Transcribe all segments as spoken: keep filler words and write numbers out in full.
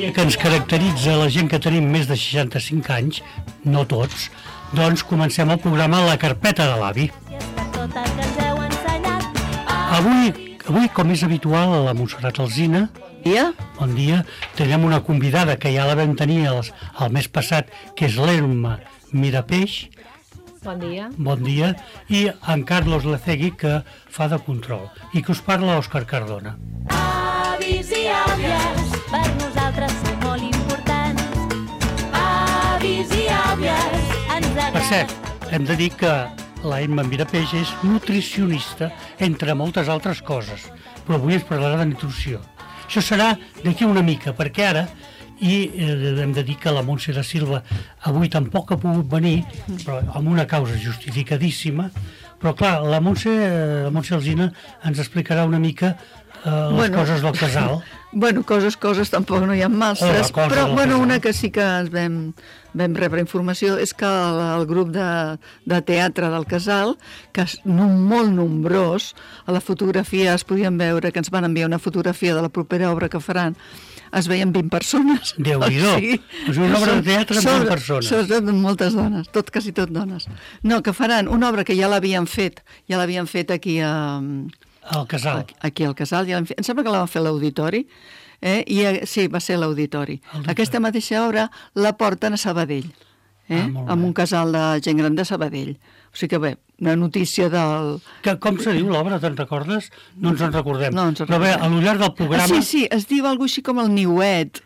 dia que ens caracteritza la gent que tenim més de seixanta-cinc anys, no tots, doncs comencem el programa La Carpeta de l'Avi. Avui, avui, com és habitual, a la Montserrat Alsina, dia. Bon dia. Tenim una convidada que ja la vam tenir el, el mes passat, que és l'Elma Mirapeix. Bon dia. Bon dia. I en Carlos Lecegui, que fa de control. I que us parla Òscar Cardona. Avis i àvies, per nosaltres són molt importants. Avis i àvies, ens agrada... Per cert, hem de dir que la Elma Mirapeix és nutricionista, entre moltes altres coses. Però avui ens parlarà de nutrició. Això serà d'aquí una mica, perquè ara, i eh, hem de dir que la Montse da Silva avui tampoc ha pogut venir, però amb una causa justificadíssima, però clar, la Montse, la Montse Alsina ens explicarà una mica eh, les Bueno. coses del casal. Bueno, coses, coses, tampoc no hi ha masses, Oh, però del bueno, casal. una que sí que ens vam, vam rebre informació és que el, el grup de, de teatre del Casal, que és no, molt nombrós, a la fotografia es podien veure que ens van enviar una fotografia de la propera obra que faran, es veien vint persones. Déu-n'hi-do. És una obra de teatre amb vint persones. Sobretot moltes dones, tot, quasi tot dones. No, que faran una obra que ja l'havien fet, ja l'havien fet aquí a... Al casal. Aquí, aquí al Casal, ja fet, em sembla que la van fer a l'auditori, eh? I, eh, sí, va ser a l'auditori. Aquesta mateixa obra la porten a Sabadell, eh? Ah, molt bé. amb un casal de gent gran de Sabadell. O sigui que bé, una notícia del... Que, com se diu l'obra, te'n recordes? No ens en recordem. No ens en Però bé, recordem. a l'ullar del programa... Ah, sí, sí, es diu alguna així com el niuet.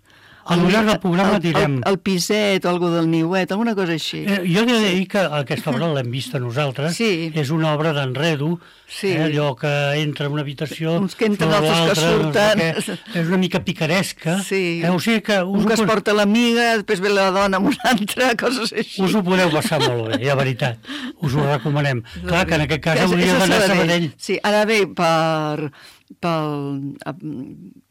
A l'ullar del programa el, direm... El, el piset o alguna del niuet, alguna cosa així. Eh, jo he de dir que aquesta obra l'hem vista nosaltres. Sí. És una obra d'enredo, Sí. eh, allò que entra en una habitació... Uns que entren, sobre altres que l'altra, no sé surten. què. És una mica picaresca. Sí. Eh, o sigui que us, Un que es ho, porta l'amiga, després ve la dona amb una altra, coses així. us ho podeu passar molt bé, ja, veritat. Us ho recomanem. Clar que en aquest cas És- és hauria a d'anar a Sabadell. Sí, ara bé, per, pel,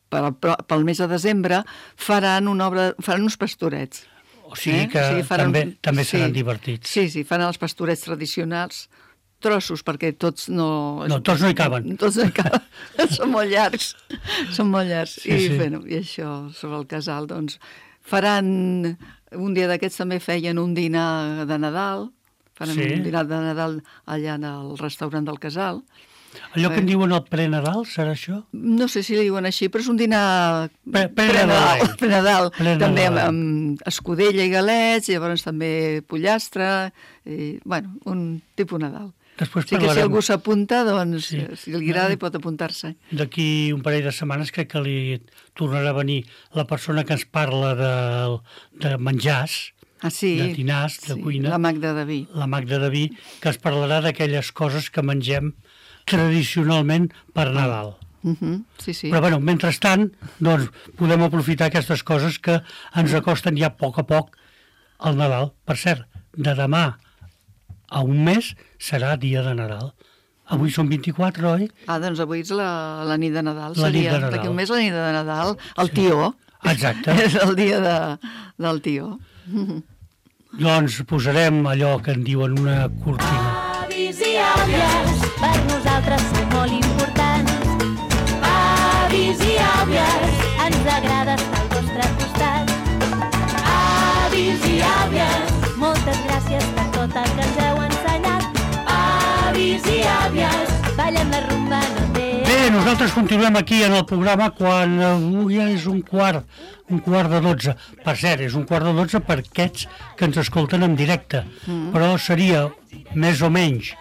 per, pel, pel mes de desembre faran una obra, faran uns pastorets. O sigui Eh? que O sigui, faran- també, també sí. seran divertits. Sí, sí, faran els pastorets tradicionals, trossos, perquè tots no... No, tots no hi caben. Tots no hi caben. Són molt llargs. Són molt llargs. Sí, I, sí. Bueno, I això, sobre el casal, doncs, faran... Un dia d'aquests també feien un dinar de Nadal, faran Sí. un dinar de Nadal allà al restaurant del casal. Allò que en diuen el pre-Nadal, serà això? No sé si li diuen així, però és un dinar Pre- pre-Nadal. pre-Nadal, Pre-Nadal. també amb, amb escudella i galets, llavors també pollastre, i, bueno, un tipus Nadal. Després Així que si parlarem. algú s'apunta, doncs, Sí. sí. si li agrada hi pot apuntar-se. D'aquí un parell de setmanes crec que li tornarà a venir la persona que ens parla de, de menjars, Ah, sí. de dinars, de sí, cuina, La Magda de Vi. la Magda de Vi, que ens parlarà d'aquelles coses que mengem tradicionalment per Nadal. Uh -huh. Sí, sí. Però, bueno, mentrestant, doncs, podem aprofitar aquestes coses que ens acosten ja a poc a poc al Nadal. Per cert, de demà a un mes serà dia de Nadal. Avui són vint-i-quatre, oi? Ah, doncs avui és la, la nit de Nadal. La nit seria. de Nadal. D'aquí un mes la nit de Nadal, el tió. Exacte. És el dia de, del tió. Doncs posarem allò que en diuen una cortina. Avis i àvies, per nosaltres són molt importants. Avis i àvies, ens agrada estar al vostre costat. Avis i àvies, moltes gràcies per tot el que ens heu ensenyat. Avis i àvies, ballem la rumba, no té... Bé, nosaltres continuem aquí en el programa quan avui ja és un quart, un quart de dotze. Per cert, és un quart de dotze per aquests que ens escolten en directe, mm. però seria més o menys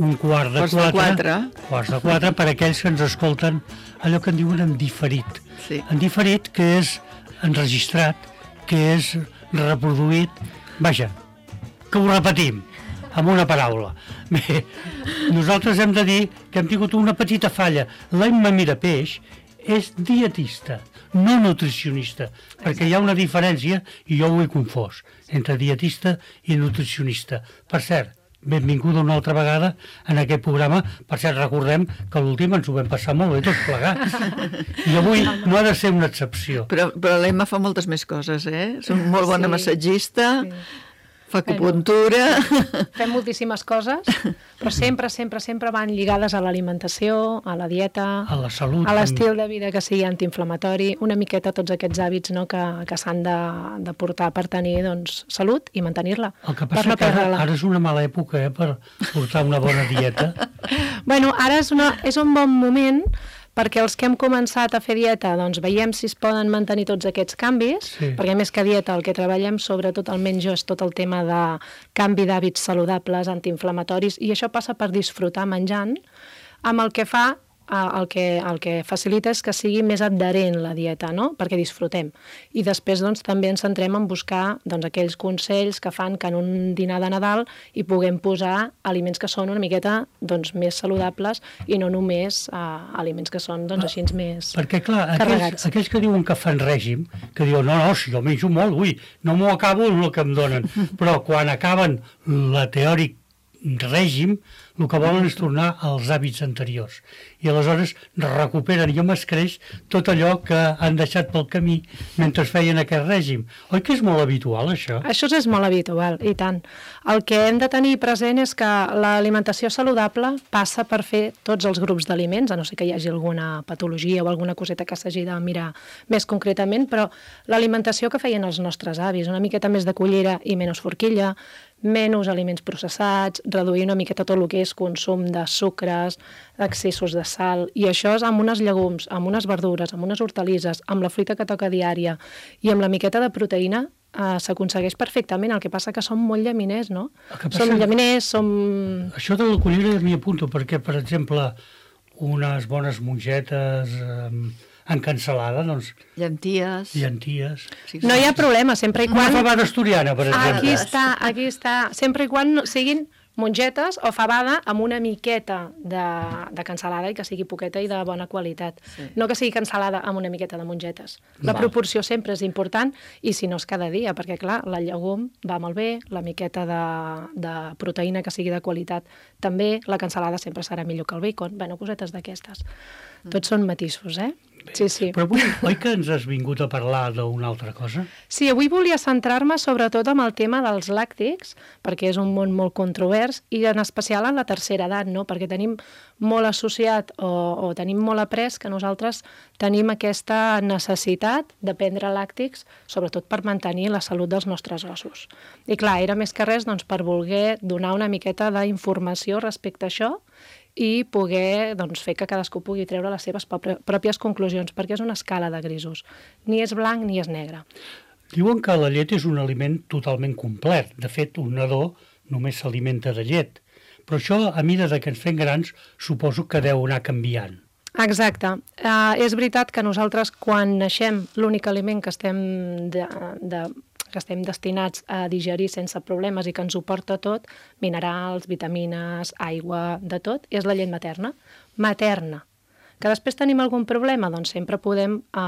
un quart de Quarts de quatre, quatre. quarts de quatre per aquells que ens escolten allò que en diuen en diferit. Sí. En diferit, que és enregistrat, que és reproduït, vaja, que ho repetim amb una paraula. Bé, nosaltres hem de dir que hem tingut una petita falla. L'Emma Mirapeix és dietista, no nutricionista, perquè hi ha una diferència, i jo ho he confós, entre dietista i nutricionista. Per cert, benvinguda una altra vegada en aquest programa. Per cert, recordem que l'últim ens ho vam passar molt bé tots plegats. I avui no ha de ser una excepció. Però, però l'Emma fa moltes més coses, eh? És una molt bona Sí. massatgista, Fa acupuntura... Fem moltíssimes coses, però sempre, sempre, sempre van lligades a l'alimentació, a la dieta, A la salut. a l'estil de vida que sigui antiinflamatori, una miqueta tots aquests hàbits, no?, que, que s'han de, de portar per tenir, doncs, salut i mantenir-la. El que per passa no que ara, perdre-la. ara és una mala època, eh, per portar una bona dieta. Bueno, ara és, una, és un bon moment perquè els que hem començat a fer dieta, doncs veiem si es poden mantenir tots aquests canvis, Sí. perquè més que dieta el que treballem, sobretot almenys jo, és tot el tema de canvi d'hàbits saludables, antiinflamatoris, i això passa per disfrutar menjant, amb el que fa, eh, el que, el que facilita és que sigui més adherent la dieta, no?, perquè disfrutem. I després, doncs, també ens centrem en buscar, doncs, aquells consells que fan que en un dinar de Nadal hi puguem posar aliments que són una miqueta, doncs, més saludables i no només eh, aliments que són, doncs, així més Perquè, clar, aquells, carregats. aquells que diuen que fan règim, que diuen, no, no, si jo menjo molt, ui, no m'ho acabo el que em donen. Però quan acaben la teòric règim, el que volen és tornar als hàbits anteriors. I aleshores recuperen i m'escreix tot allò que han deixat pel camí mentre feien aquest règim. Oi que és molt habitual, això? Això és molt habitual, i tant. El que hem de tenir present és que l'alimentació saludable passa per fer tots els grups d'aliments, a no ser que hi hagi alguna patologia o alguna coseta que s'hagi de mirar més concretament, però l'alimentació que feien els nostres avis, una miqueta més de cullera i menys forquilla, menys aliments processats, reduir una miqueta tot el que és consum de sucres, excessos de sal, i això és amb unes llegums, amb unes verdures, amb unes hortalisses, amb la fruita que toca diària i amb la miqueta de proteïna, eh, s'aconsegueix perfectament. El que passa que som molt llaminers, no? El que passa- Som llaminers, som... Això de la cullera m'hi apunto, perquè, per exemple, unes bones mongetes eh, en cansalada, doncs, Llenties... llenties... Sí, No hi ha problema, sempre i Una quan... fabada asturiana, per exemple. Aquí està, aquí està. Sempre i quan no- siguin mongetes o fabada amb una miqueta de, de cansalada i que sigui poqueta i de bona qualitat. Sí. No que sigui cansalada amb una miqueta de mongetes. La Val. proporció sempre és important i si no és cada dia, perquè clar, la llegum va molt bé, la miqueta de, de proteïna que sigui de qualitat també, la cansalada sempre serà millor que el bacon. Bueno, cosetes d'aquestes. Tots són matisos, eh? Sí, sí. Però avui, oi que ens has vingut a parlar d'una altra cosa? Sí, avui volia centrar-me sobretot amb el tema dels làctics, perquè és un món molt controvers, i en especial en la tercera edat, no? Perquè tenim molt associat o, o tenim molt après que nosaltres tenim aquesta necessitat de prendre làctics, sobretot per mantenir la salut dels nostres ossos. I clar, era més que res doncs, per voler donar una miqueta d'informació respecte a això i poder doncs, fer que cadascú pugui treure les seves pròpies conclusions, perquè és una escala de grisos. Ni és blanc ni és negre. Diuen que la llet és un aliment totalment complet. De fet, un nadó només s'alimenta de llet. Però això, a mida de que ens fem grans, suposo que deu anar canviant. Exacte. Uh, és veritat que nosaltres, quan naixem, l'únic aliment que estem, de, de, que estem destinats a digerir sense problemes i que ens ho porta tot, minerals, vitamines, aigua, de tot, és la llet materna. Materna. Que després tenim algun problema? Doncs sempre podem eh,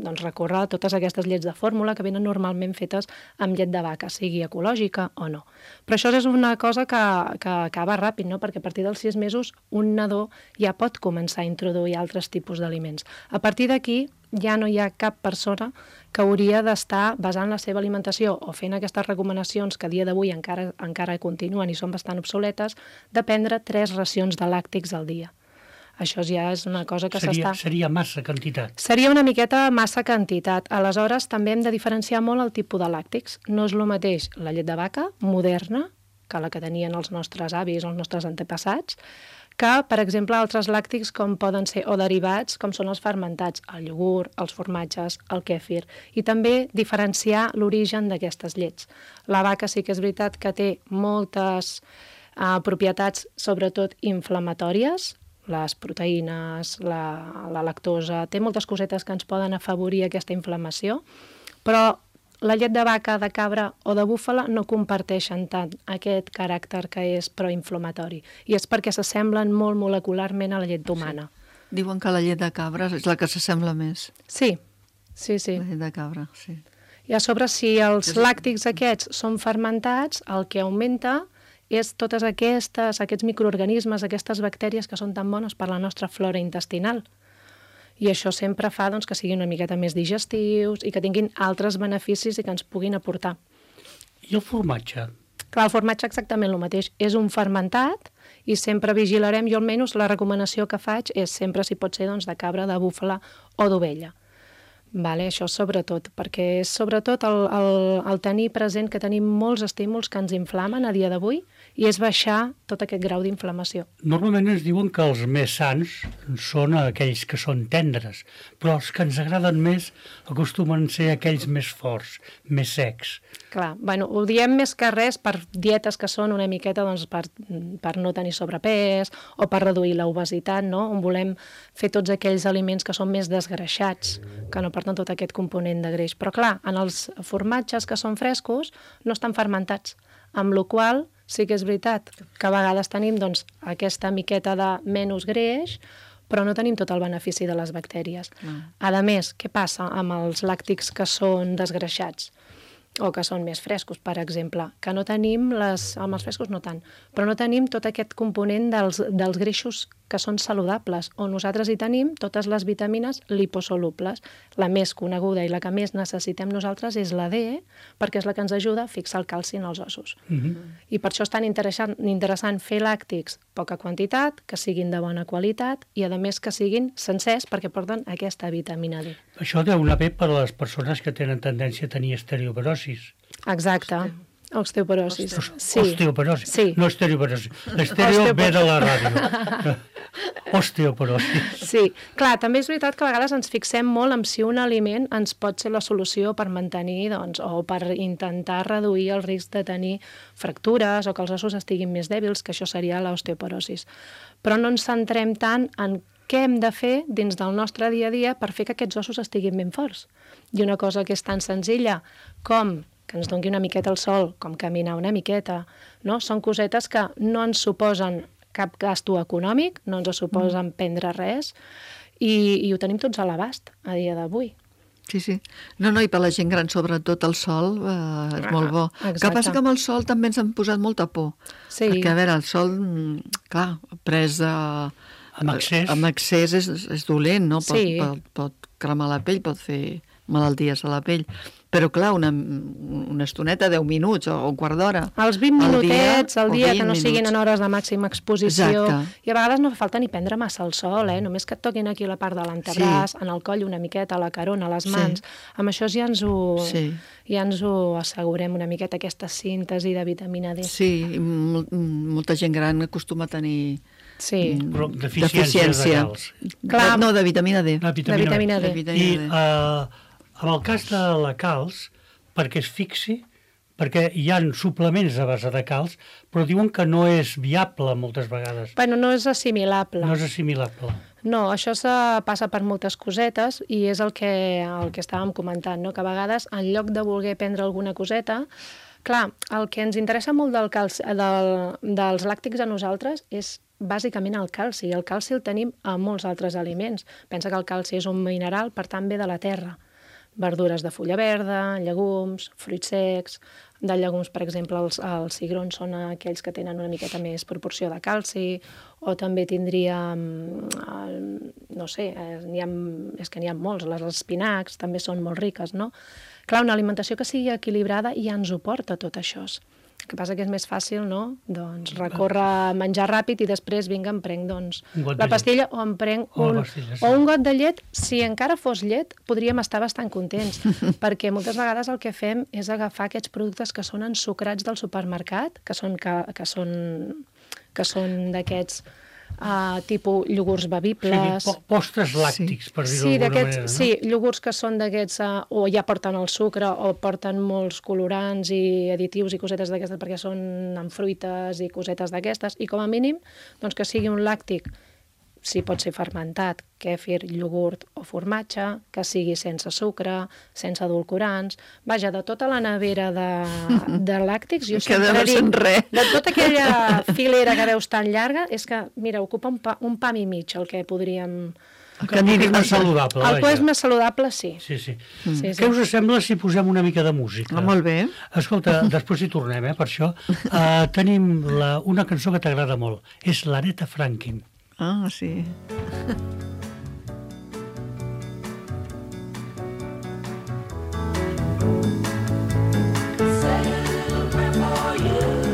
doncs recórrer a totes aquestes llets de fórmula que venen normalment fetes amb llet de vaca, sigui ecològica o no. Però això és una cosa que, que acaba ràpid, no? Perquè a partir dels sis mesos un nadó ja pot començar a introduir altres tipus d'aliments. A partir d'aquí ja no hi ha cap persona que hauria d'estar basant la seva alimentació o fent aquestes recomanacions que a dia d'avui encara, encara continuen i són bastant obsoletes, de prendre tres racions de làctics al dia. Això ja és una cosa que Seria, s'està... seria massa quantitat. Seria una miqueta massa quantitat. Aleshores, també hem de diferenciar molt el tipus de làctics. No és el mateix la llet de vaca moderna, que la que tenien els nostres avis o els nostres antepassats, que, per exemple, altres làctics com poden ser o derivats, com són els fermentats, el iogurt, els formatges, el kèfir, i també diferenciar l'origen d'aquestes llets. La vaca sí que és veritat que té moltes eh, propietats, sobretot inflamatòries, les proteïnes, la, la lactosa, té moltes cosetes que ens poden afavorir aquesta inflamació, però la llet de vaca, de cabra o de búfala no comparteixen tant aquest caràcter que és proinflamatori, i és perquè s'assemblen molt molecularment a la llet humana. Sí. Diuen que la llet de cabra és la que s'assembla més. Sí, sí, sí. La llet de cabra, sí. I a sobre, si els làctics aquests són fermentats, el que augmenta és totes aquestes, aquests microorganismes, aquestes bactèries que són tan bones per la nostra flora intestinal. I això sempre fa doncs, que siguin una miqueta més digestius i que tinguin altres beneficis i que ens puguin aportar. I el formatge? Clar, el formatge exactament el mateix. És un fermentat i sempre vigilarem, jo almenys la recomanació que faig és sempre, si pot ser, doncs, de cabra, de búfala o d'ovella. Vale, això sobretot, perquè és sobretot el, el, el tenir present que tenim molts estímuls que ens inflamen a dia d'avui i és baixar tot aquest grau d'inflamació. Normalment ens diuen que els més sants són aquells que són tendres, però els que ens agraden més acostumen a ser aquells més forts, més secs. Clar, bueno, ho diem més que res per dietes que són una miqueta doncs, per, per no tenir sobrepès o per reduir l'obesitat, no? On volem fer tots aquells aliments que són més desgreixats, que no porten tot aquest component de greix. Però clar, en els formatges que són frescos no estan fermentats, amb la qual cosa sí que és veritat que a vegades tenim doncs, aquesta miqueta de menys greix, però no tenim tot el benefici de les bactèries. Mm. A més, què passa amb els làctics que són desgreixats? O que són més frescos, per exemple, que no tenim, les, amb els frescos no tant, però no tenim tot aquest component dels, dels greixos que són saludables, on nosaltres hi tenim totes les vitamines liposolubles. La més coneguda i la que més necessitem nosaltres és la D, perquè és la que ens ajuda a fixar el calci en els ossos. Mm-hmm. I per això és tan interessant, interessant fer làctics poca quantitat, que siguin de bona qualitat i, a més, que siguin sencers perquè porten aquesta vitamina D. Això deu anar bé per a les persones que tenen tendència a tenir osteoporosis. Exacte. Osteoporosis. Sí. Osteoporosis, sí. No osteoporosis. L'estereo ve de la ràdio. Osteoporosis. Sí, clar, també és veritat que a vegades ens fixem molt en si un aliment ens pot ser la solució per mantenir, doncs, o per intentar reduir el risc de tenir fractures o que els ossos estiguin més dèbils, que això seria l'osteoporosis. Però no ens centrem tant en què hem de fer dins del nostre dia a dia per fer que aquests ossos estiguin ben forts. I una cosa que és tan senzilla com que ens doni una miqueta al sol, com caminar una miqueta, no? Són cosetes que no ens suposen cap gasto econòmic, no ens suposen mm. prendre res, i, i ho tenim tots a l'abast a dia d'avui. Sí, sí. No, no, i per la gent gran, sobretot el sol, eh, és molt bo. El que passa que amb el sol també ens han posat molta por. Sí. Perquè, a veure, el sol, clar, pres a... Amb excés. Amb excés és, és dolent, no? Pot, Sí. pot, pot cremar la pell, pot fer malalties a la pell. Però, clar, una, una estoneta, deu minuts o un quart d'hora. Els vint minutets al dia, que no minuts. siguin en hores de màxima exposició. Exacte. I a vegades no fa falta ni prendre massa el sol, eh? Només que et toquin aquí la part de l'antebraç, Sí. en el coll una miqueta, a la carona, a les Sí. mans. Amb això ja ens ho, Sí. ja ens ho assegurem una miqueta, aquesta síntesi de vitamina D. Sí, i mol, molta gent gran acostuma a tenir Sí. Però deficiència de calç. Clar. No, de vitamina D. La De vitamina D. De vitamina I D. eh, en el cas de la calç, perquè es fixi, perquè hi ha suplements a base de calç, però diuen que no és viable moltes vegades. Bueno, no és assimilable. No és assimilable. No, això se passa per moltes cosetes i és el que, el que estàvem comentant, no? Que a vegades, en lloc de voler prendre alguna coseta, clar, el que ens interessa molt del calci, del, dels làctics a nosaltres és bàsicament el calci. El calci el tenim a molts altres aliments. Pensa que el calci és un mineral, per tant, ve de la terra. Verdures de fulla verda, llegums, fruits secs. De llegums, per exemple, els, els cigrons són aquells que tenen una miqueta més proporció de calci, o també tindríem, no sé, n'hi ha, és que n'hi ha molts, les espinacs també són molt riques, no? Clar, una alimentació que sigui equilibrada ja ens ho porta tot això. El que passa que és més fàcil, no? Doncs recórrer, menjar ràpid i després, vinga, em prenc doncs, la pastilla o em prenc O un, la pastilla, sí. o un got de llet. Si encara fos llet, podríem estar bastant contents, perquè moltes vegades el que fem és agafar aquests productes que són ensucrats del supermercat, que són, que, que són, que són d'aquests uh, tipus iogurts bevibles. Sí, po postres làctics, sí. Per dir-ho Sí, d'alguna manera. No? Sí, iogurts que són d'aquests, uh, o ja porten el sucre, o porten molts colorants i additius i cosetes d'aquestes, perquè són amb fruites i cosetes d'aquestes, i com a mínim doncs que sigui un làctic, si pot ser fermentat, kèfir, iogurt o formatge, que sigui sense sucre, sense edulcorants. Vaja, de tota la nevera de, de làctics, jo Que sempre deu ser dic, res. de tota aquella filera que veus tan llarga, és que, mira, ocupa un, pa, un pam i mig el que podríem... El que és més saludable, El que és vaja. més saludable, sí. Sí, sí. Mm. Sí, Què sí. us sembla si posem una mica de música? Ah, molt bé. Escolta, després hi tornem, eh, per això. Uh, tenim la, una cançó que t'agrada molt. És l'Aretha Franklin. Ah, sí. Sail for you.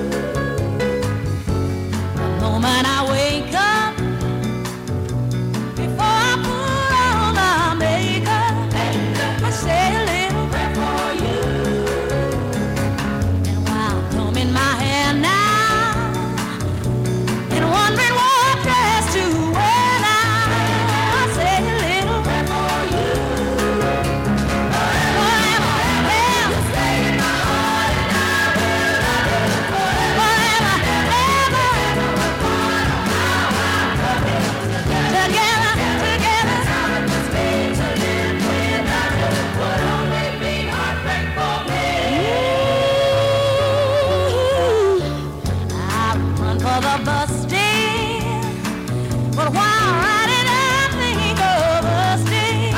But while riding, I think of us days.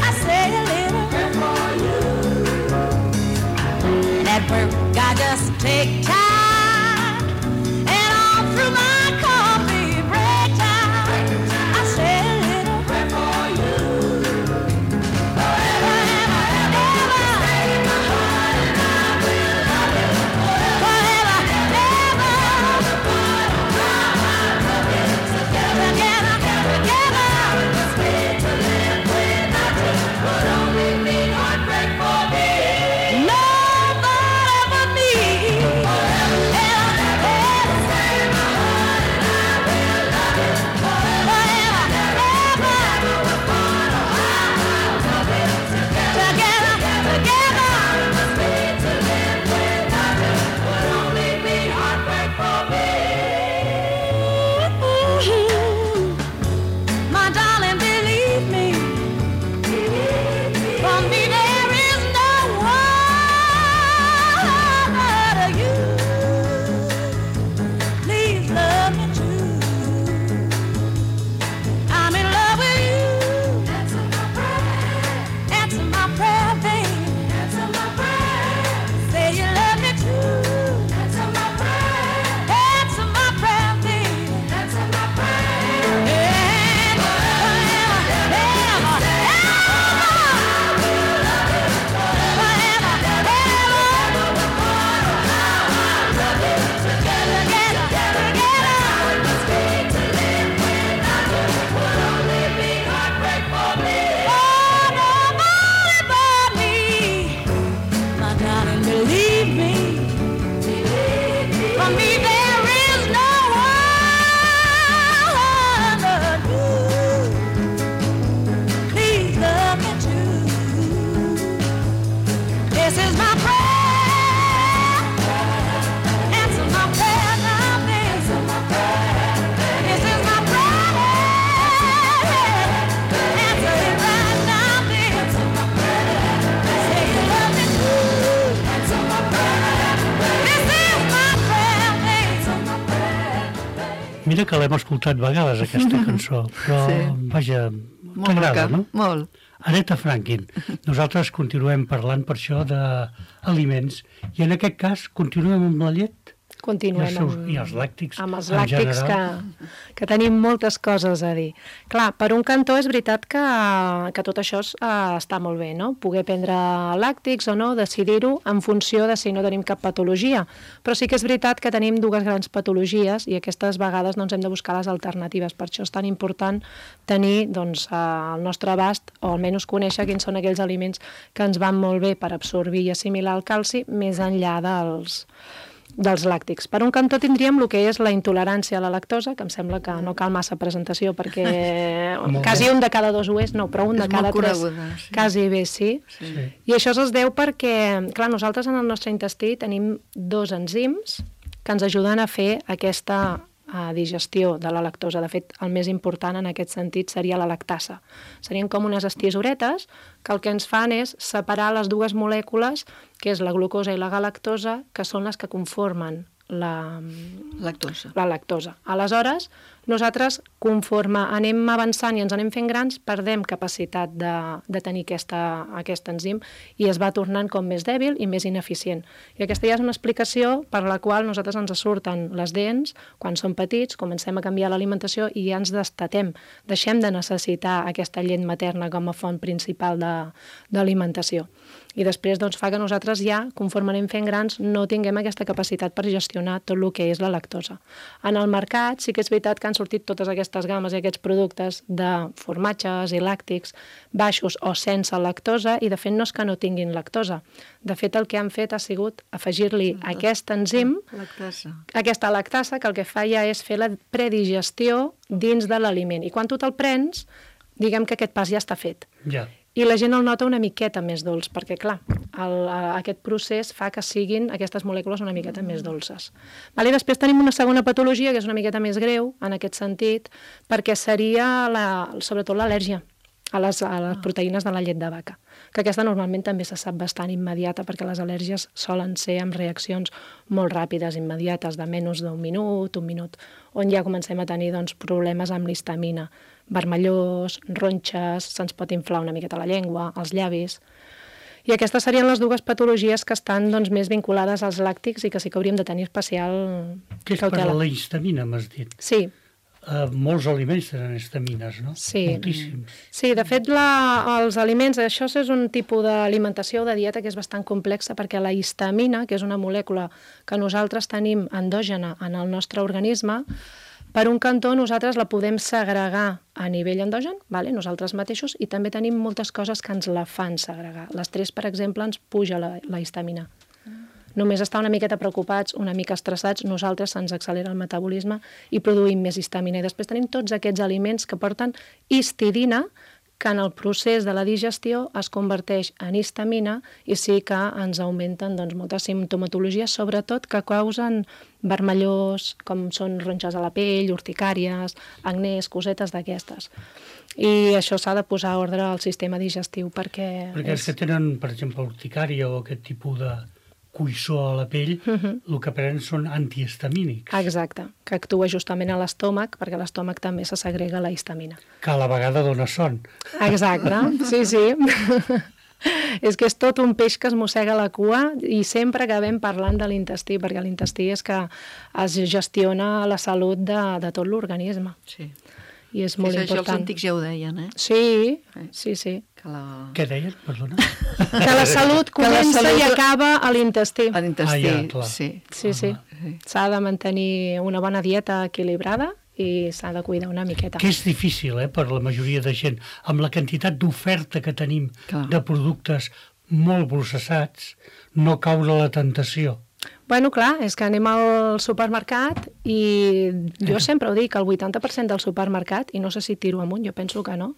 I say a little prayer for you. And at work, I just take time, and all through my coffee break time, I say a little prayer for you. Forever, ever, ever, stay in my heart, and I will love you forever, ever. Together, together, it's made to live without you. Would only mean heartbreak for me. Nobody but me. Forever, ever, ever, stay in my heart, and I will love you forever, ever. We're born a while, love you together, together, it's made to live without you. Would only mean heartbreak for me. My darling, believe me, for me there is no one but you. Please love me true. I'm in love with you. Answer my prayer. Answer my prayer, baby. Answer my prayer. Say you love me true. Answer my prayer. Answer my prayer, baby. Answer my prayer. And forever, ever, believe me, for me there is no one but you. Please love me true. This is my prayer. Answer my prayer now, baby. Answer my prayer. This is my prayer. Answer it right now, baby. Answer my prayer. Say you love me true. Answer my prayer. This is my prayer, baby. Answer my prayer. Mira que l'hem escoltat vegades, aquesta cançó, però, Sí. vaja, Molt t'agrada, maca, no? molt. Aretha Franklin. Nosaltres continuem parlant per això d'aliments i en aquest cas continuem amb la llet Continuem I els seus- amb, i els làctics, amb els en làctics que, general. que tenim moltes coses a dir. Clar, per un cantó és veritat que, que tot això es, uh, està molt bé, no? Poder prendre làctics o no, decidir-ho en funció de si no tenim cap patologia. Però sí que és veritat que tenim dues grans patologies i aquestes vegades no ens hem de buscar les alternatives. Per això és tan important tenir doncs, uh, al nostre abast, o almenys conèixer quins són aquells aliments que ens van molt bé per absorbir i assimilar el calci, més enllà dels dels làctics. Per un cantó tindríem el que és la intolerància a la lactosa, que em sembla que no cal massa presentació perquè Molt quasi bé. un de cada dos ho és, no, però un És de cada molt tres coneguda, sí. quasi bé sí. Sí. I això es deu perquè, clar, nosaltres en el nostre intestí tenim dos enzims que ens ajuden a fer aquesta a digestió de la lactosa. De fet, el més important en aquest sentit seria la lactasa. Serien com unes estisoretes que el que ens fan és separar les dues molècules, que és la glucosa i la galactosa, que són les que conformen la, Lactosa. la lactosa. Aleshores, nosaltres, conforme anem avançant i ens anem fent grans, perdem capacitat de, de tenir aquesta, aquest enzim i es va tornant com més dèbil i més ineficient. I aquesta ja és una explicació per la qual nosaltres ens surten les dents quan som petits, comencem a canviar l'alimentació i ja ens destatem. Deixem de necessitar aquesta llet materna com a font principal d'alimentació. I després doncs, fa que nosaltres ja, conforme anem fent grans, no tinguem aquesta capacitat per gestionar tot el que és la lactosa. En el mercat sí que és veritat que han sortit totes aquestes games i aquests productes de formatges i làctics baixos o sense lactosa i de fet no és que no tinguin lactosa. De fet el que han fet ha sigut afegir-li aquest enzim, Lactasa. aquesta lactasa, que el que fa ja és fer la predigestió dins de l'aliment. I quan tu te'l prens, diguem que aquest pas ja està fet. Ja. I la gent el nota una miqueta més dolç, perquè, clar, el, aquest procés fa que siguin aquestes molècules una miqueta més dolces. Vale? Després tenim una segona patologia, que és una miqueta més greu, en aquest sentit, perquè seria, la, sobretot, l'al·lèrgia. a les, a les proteïnes de la llet de vaca, que aquesta normalment també se sap bastant immediata perquè les al·lèrgies solen ser amb reaccions molt ràpides, immediates, de menys d'un minut, un minut, on ja comencem a tenir doncs, problemes amb l'histamina, vermellós, ronxes, se'ns pot inflar una miqueta la llengua, els llavis. I aquestes serien les dues patologies que estan doncs, més vinculades als làctics i que sí que hauríem de tenir especial Què és per cautela. la histamina, m'has dit? Sí, Uh, molts aliments tenen histamines, no? Sí. Moltíssims. Sí, de fet, la, els aliments, això és un tipus d'alimentació o de dieta que és bastant complexa perquè la histamina, que és una molècula que nosaltres tenim endògena en el nostre organisme, per un cantó nosaltres la podem segregar a nivell endogen, vale? Nosaltres mateixos, i també tenim moltes coses que ens la fan segregar. L'estrès, per exemple, ens puja la, la histamina. Només estar una miqueta preocupats, una mica estressats, nosaltres se'ns accelera el metabolisme i produïm més histamina. I després tenim tots aquests aliments que porten histidina, que en el procés de la digestió es converteix en histamina i sí que ens augmenten doncs, moltes simptomatologies, sobretot que causen vermellós, com són ronxes a la pell, urticàries, acnés, cosetes d'aquestes. I això s'ha de posar a ordre al sistema digestiu perquè... Perquè els és... que tenen, per exemple, urticària o aquest tipus de cuissó a la pell, Uh-huh. el que prenen són antihistamínics, Exacte, que actua justament a l'estómac, perquè a l'estómac també se segrega la histamina. que a la vegada dona son. Exacte, sí, sí. És que és tot un peix que es mossega la cua i sempre acabem parlant de l'intestí, perquè l'intestí és que es gestiona la salut de, de tot l'organisme. Sí. I és molt Això, això els important. antics ja ho deien, eh? Sí, sí, sí. Que la... Què deien? Perdona. Que la salut Que la comença salut- i acaba a l'intestí. A l'intestí, Ah, ja, clar. sí. Sí, sí. Sí. S'ha de mantenir una bona dieta equilibrada i s'ha de cuidar una miqueta. Que és difícil, eh, per la majoria de gent. Amb la quantitat d'oferta que tenim Clar. de productes molt processats, no caure a la tentació. Bueno, clar, és que anem al supermercat i jo sempre ho dic, el vuitanta per cent del supermercat, i no sé si tiro amunt, jo penso que no,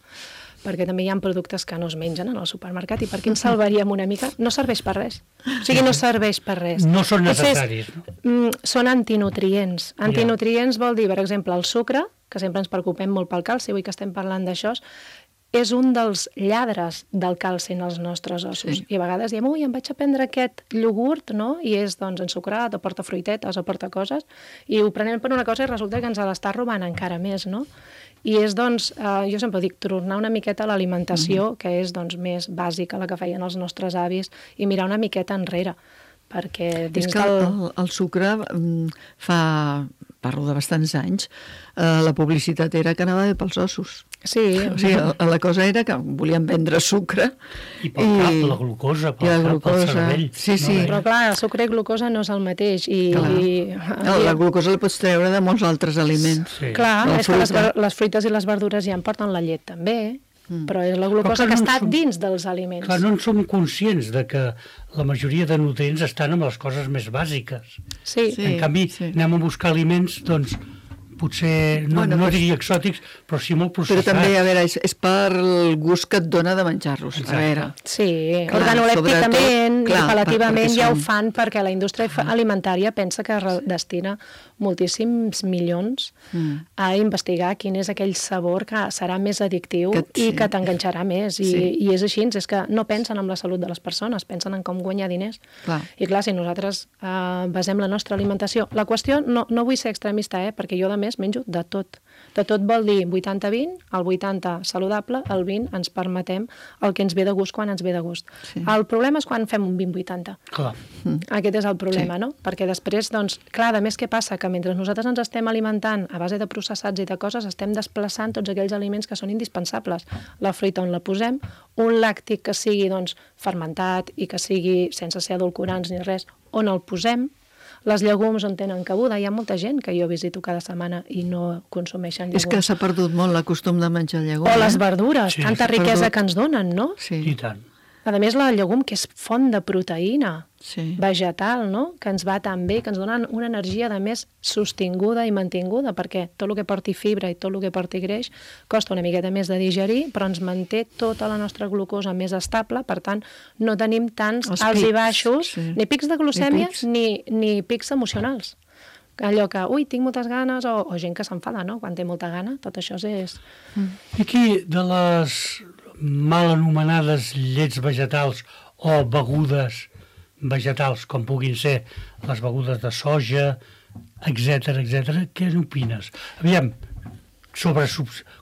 perquè també hi ha productes que no es mengen en el supermercat i per què ens salvaríem una mica? No serveix per res. O sigui, no serveix per res. No són Potser és- necessaris, no? Mm, són antinutrients. Antinutrients vol dir, per exemple, el sucre, que sempre ens preocupem molt pel calci, avui que estem parlant d'això, és un dels lladres del calci en els nostres ossos. Sí. I a vegades diem, ui, em vaig a prendre aquest iogurt, no? I és, doncs, ensucrat, o porta fruitetes, o porta coses, i ho prenem per una cosa i resulta que ens l'està robant encara més, no? I és, doncs, eh, jo sempre dic, tornar una miqueta a l'alimentació, que és, doncs, més bàsica, la que feien els nostres avis, i mirar una miqueta enrere, perquè És dins que del... el, el sucre mm, fa, parlo de bastants anys, eh, la publicitat era que anava bé pels ossos. Sí, O sigui, la, la cosa era que volien vendre sucre. I pel cap, la glucosa, pel i la cap, glucosa. pel cervell. Sí, sí. No, però clar, el sucre i glucosa no és el mateix. I, Clar. i, No, la glucosa la pots treure de molts altres aliments. Sí. clar, La és que les, fruita. ver- les fruites i les verdures ja en porten la llet també, Mm. però és la Però glucosa que que no està som- dins dels aliments. Clar, no en som conscients de que la majoria de nutrients estan amb les coses més bàsiques. Sí, Sí. En canvi, sí. anem a buscar aliments, doncs, potser, no, Bueno, no però- diria exòtics, però sí molt Però processats. també, a veure, és, és per el gust que et dona de menjar-los. A Exacte. veure, sí, Clar, organolèpticament sobretot, clar, i apel·lativament per- perquè ja ho són- fan perquè la indústria fa- alimentària pensa que re- destina moltíssims milions Mm. a investigar quin és aquell sabor que serà més addictiu Que- i sí. que t'enganxarà més. I, Sí. I és així, és que no pensen en la salut de les persones, pensen en com guanyar diners. Clar. I clar, si nosaltres eh, basem la nostra alimentació... La qüestió, no, no vull ser extremista, eh, perquè jo, a més, menjo de tot. De tot vol dir vuitanta vint, el vuitanta saludable, el vint ens permetem el que ens ve de gust quan ens ve de gust. Sí. El problema és quan fem un vint vuitanta. Clar. Aquest és el problema, Sí. no? Perquè després, doncs, clar, a més què passa? Que mentre nosaltres ens estem alimentant a base de processats i de coses, estem desplaçant tots aquells aliments que són indispensables. La fruita on la posem, un làctic que sigui, doncs, fermentat i que sigui sense ser edulcorants ni res, on el posem, les llegums on tenen cabuda. Hi ha molta gent que jo visito cada setmana i no consumeixen llegums. És que s'ha perdut molt la costum de menjar llegum. O les eh? verdures, Sí, tanta s'ha riquesa perdut. que ens donen, no? Sí, I tant. A més, la llegum, que és font de proteïna sí. vegetal, no? Que ens va tan bé, que ens donen una energia, de més, sostinguda i mantinguda, perquè tot el que porti fibra i tot el que porti greix costa una miqueta més de digerir, però ens manté tota la nostra glucosa més estable, per tant, no tenim tants Els alts i pics, baixos, sí. ni pics de glucèmia, pics. ni, ni pics emocionals. Allò que, ui, tinc moltes ganes, o, o gent que s'enfada, no? Quan té molta gana, tot això és... I aquí, de les mal anomenades llets vegetals o begudes vegetals, com puguin ser les begudes de soja, etc etcètera, què n'opines? Aviam, sobre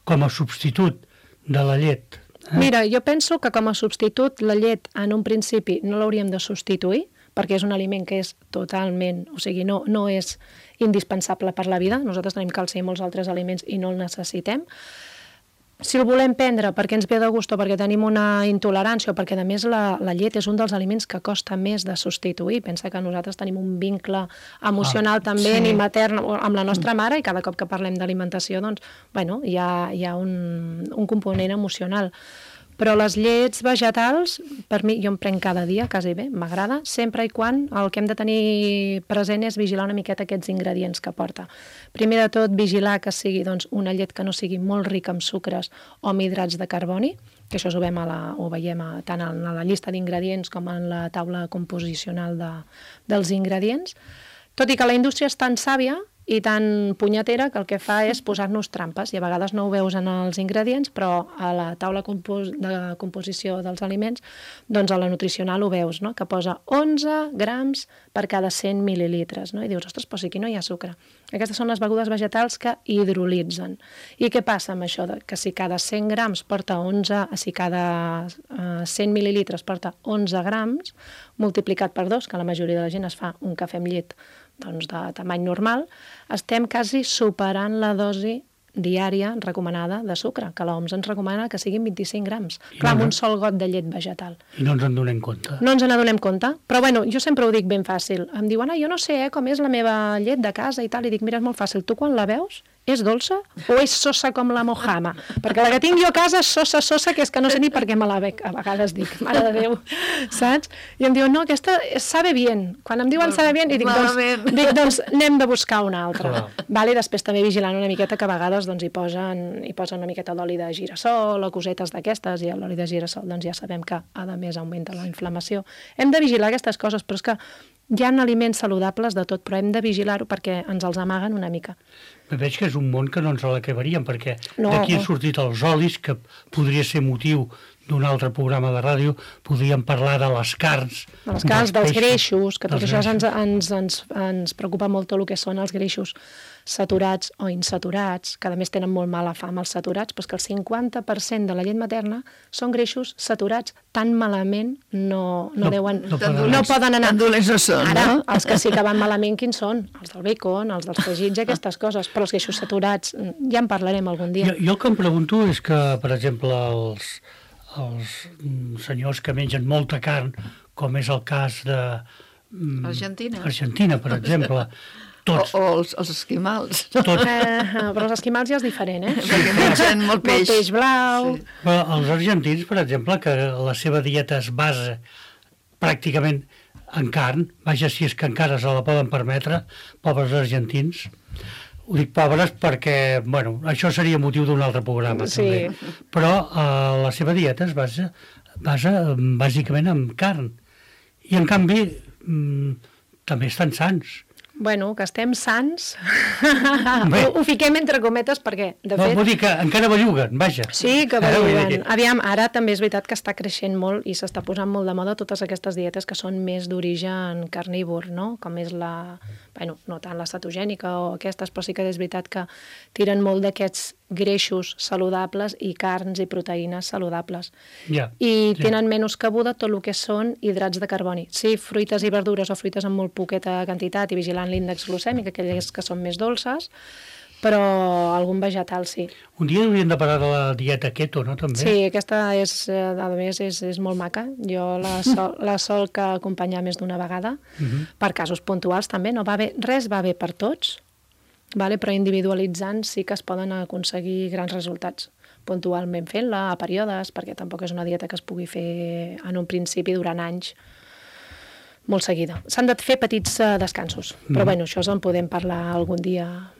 com a substitut de la llet. Eh? Mira, jo penso que com a substitut la llet en un principi no l'hauríem de substituir, perquè és un aliment que és totalment, o sigui, no, no és indispensable per la vida. Nosaltres tenim calci i molts altres aliments i no el necessitem. Si el volem prendre perquè ens ve de gust o perquè tenim una intolerància o perquè, a més, la, la llet és un dels aliments que costa més de substituir. Pensa que nosaltres tenim un vincle emocional ah, també, sí. ni matern, amb la nostra mare, i cada cop que parlem d'alimentació, doncs, bueno, hi ha, hi ha un, un component emocional. Però les llets vegetals, per mi, jo em prenc cada dia, quasi bé, m'agrada, sempre i quan el que hem de tenir present és vigilar una miqueta aquests ingredients que porta. Primer de tot, vigilar que sigui doncs, una llet que no sigui molt rica en sucres o en hidrats de carboni, que això ho, a la, ho veiem a, tant en la llista d'ingredients com en la taula composicional de, dels ingredients. Tot i que la indústria és tan sàvia i tan punyetera que el que fa és posar-nos trampes, i a vegades no ho veus en els ingredients, però a la taula compos de composició dels aliments, doncs a la nutricional ho veus, no? Que posa onze grams per cada cent mil·lilitres, no? I dius, ostres, però si aquí no hi ha sucre. Aquestes són les begudes vegetals que hidrolitzen. I què passa amb això? Que si cada cent grams porta onze, si cada uh, cent mil·lilitres porta onze grams, multiplicat per dos, que la majoria de la gent es fa un cafè amb llet doncs, de tamany normal, estem quasi superant la dosi diària recomanada de sucre, que l'O M S ens recomana que siguin vint-i-cinc grams. I clar, no, amb un sol got de llet vegetal. I no ens en donem compte. No ens en donem compte, però bueno, jo sempre ho dic ben fàcil. Em diuen, ah, jo no sé eh, com és la meva llet de casa i tal, i dic, mira, és molt fàcil, tu quan la veus és dolça o és sosa com la mojama? Perquè la que tinc jo a casa és sosa, sosa, que és que no sé ni per què me la bec, a vegades dic, mare de Déu, saps? I em diuen, no, aquesta sabe bien. Quan em diuen sabe bien, i dic, doncs, dic, doncs anem de buscar una altra. Vale? Després també vigilant una miqueta que a vegades doncs, hi, posen, hi posen una miqueta d'oli de girassol o cosetes d'aquestes, i l'oli de girassol doncs, ja sabem que a més augmenta la inflamació. Hem de vigilar aquestes coses, però és que hi ha aliments saludables de tot, però hem de vigilar-ho perquè ens els amaguen una mica. Veig que és un món que no ens l'acabaríem, perquè no, d'aquí han no. sortit els olis, que podria ser motiu d'un altre programa de ràdio, podríem parlar de les carns. De les carns, dels, dels greixos, que tot això greixos. ens, ens, ens, ens preocupa molt tot el que són els greixos saturats o insaturats, que a més tenen molt mala fama els saturats, però és que el cinquanta per cent de la llet materna són greixos saturats, tan malament no, no, no deuen... No, no, no poden anar. Tan dolents no són, Ara, no? els que sí que van malament, quins són? Els del bacon, els dels fregits, aquestes coses, però els greixos saturats, ja en parlarem algun dia. Jo, jo el que em pregunto és que, per exemple, els, els senyors que mengen molta carn, com és el cas de... Argentina. Argentina, per exemple... Tots. O, o els, els esquimals. Tots. Eh, però els esquimals ja és diferent, eh? Perquè mengen molt peix. Molt peix blau. Sí. Però els argentins, per exemple, que la seva dieta es basa pràcticament en carn, vaja, si és que encara se la poden permetre, pobres argentins. Ho dic pobres perquè, bueno, això seria motiu d'un altre programa, sí. també. Però eh, la seva dieta es basa, basa bàsicament en carn. I, en canvi, mm, també estan sans. Bueno, que estem sans, ho, ho fiquem entre cometes perquè, de no, fet... Vull dir que encara belluguen, vaja. Sí, que belluguen. Aviam, ara també és veritat que està creixent molt i s'està posant molt de moda totes aquestes dietes que són més d'origen carnívor, no? Com és la... Bueno, no tant la cetogènica o aquestes, però sí que és veritat que tiren molt d'aquests greixos saludables i carns i proteïnes saludables. Ja, I ja. tenen menys cabuda tot el que són hidrats de carboni. Sí, fruites i verdures o fruites amb molt poqueta quantitat i vigilant l'índex glucèmic, aquelles que són més dolces, però algun vegetal sí. Un dia hauríem de parar de la dieta keto, no, també? Sí, aquesta és, a més, és, és molt maca. Jo la sol, la sol que acompanyar més d'una vegada, uh -huh. per casos puntuals també, no va bé, res va bé per tots, vale? Però individualitzant sí que es poden aconseguir grans resultats, puntualment fent-la, a períodes, perquè tampoc és una dieta que es pugui fer en un principi durant anys, molt seguida. S'han de fer petits uh, descansos, però uh -huh. bueno, això en podem parlar algun dia.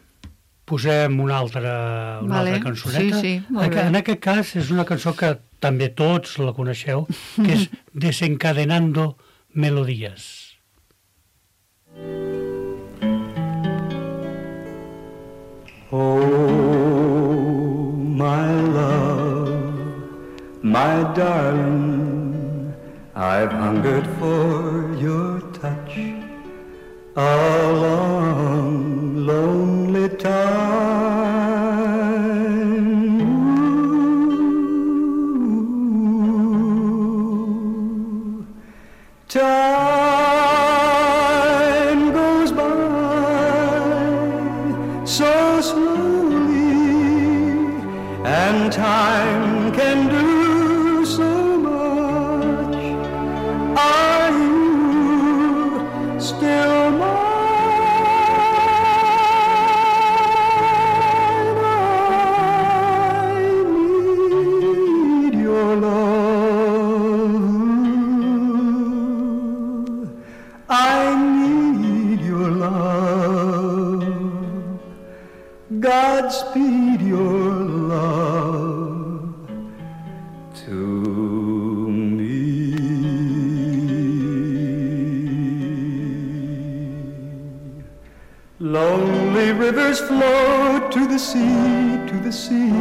Posem una altra, una vale. altra cançoneta. Sí, sí, molt bé. En aquest cas és una cançó que també tots la coneixeu, que és Desencadenando Melodías. Oh, my love, my darling, I've hungered for your touch a long, lonely time. Ooh, time goes by so slowly, and time can do so much. Are you still mine? I need your love. I need your love. Godspeed your love to me. Lonely rivers flow to the sea, to the sea,